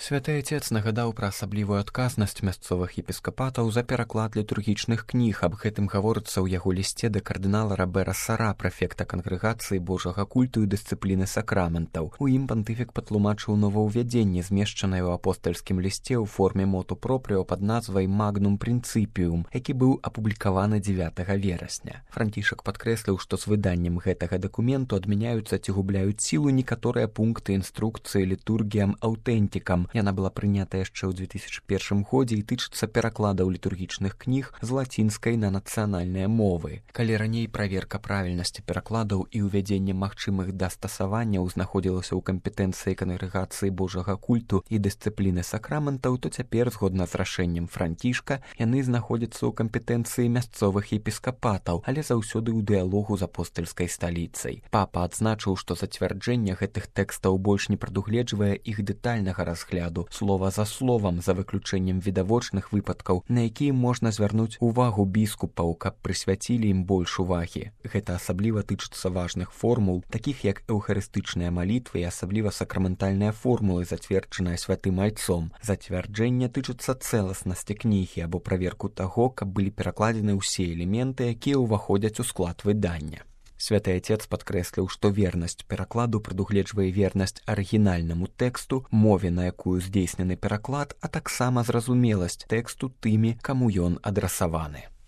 Святы Отец нагадаў пра асаблівую адказнасць мясцовых епіскапатаў за пераклад літургічных кніг. Аб гэтым гаворыцца ў яго лісце да кардынала Робера Сара, прэфекта кангрэгацыі Божага культу і дысцыпліны сакраментаў. У ім пантыфік патлумачыў новаўвядзенне, змешчанае ў апостальскім лісце ў форме моту пропрыо пад назвай «Магнум Принципиум», які быў апублікаваны 9 верасня. Францішак падкрэсліў, што з выданнем гэтага дакументу адмяняюцца ці губляюць сілу некаторыя пункты інструкцыі літургіям аўтэнтікам. Яна была прынята яшчэ ў 2001 годзе і тычыцца перакладаў літургічных кніг з лацінскай на нацыянальныя мовы. Калі раней праверка правільнасці перакладаў і ўвядзенне магчымых дастасаванняў знаходзілася ў кампетэнцыі кангрэгацыі Божага культу і дысцыпліны сакраментаў, то цяпер, згодна з рашэннем Францішка, яны знаходзяцца ў кампетэнцыі мясцовых епіскапатаў, але заўсёды ў дыялогу з апостальскай сталіцай. Папа адзначыў, што зацвярджэнне гэтых тэкстаў больш не прадугледжвае іх дэтальнага разгляду, слова за словам, за выключэннем відавочных выпадкаў, на якія можна звярнуць увагу біскупаў, каб прысвяцілі ім больш увагі. Гэта асабліва тычыцца важных формул, такіх як эўхарыстычныя малітвы і асабліва сакраментальныя формулы, зацверджаныя святым айцом. Зацвярджэнне тычыцца цэласнасці кнігі або праверку таго, каб былі перакладзены ўсе элементы, якія ўваходзяць у склад выдання. Святы Отец падкрэсліў, што вернасць перакладу прадугледжвае вернасць арыгінальнаму тэксту, мове, на якую здзейснены пераклад, а таксама зразумеласць тэксту тымі, каму ён адрасаваны.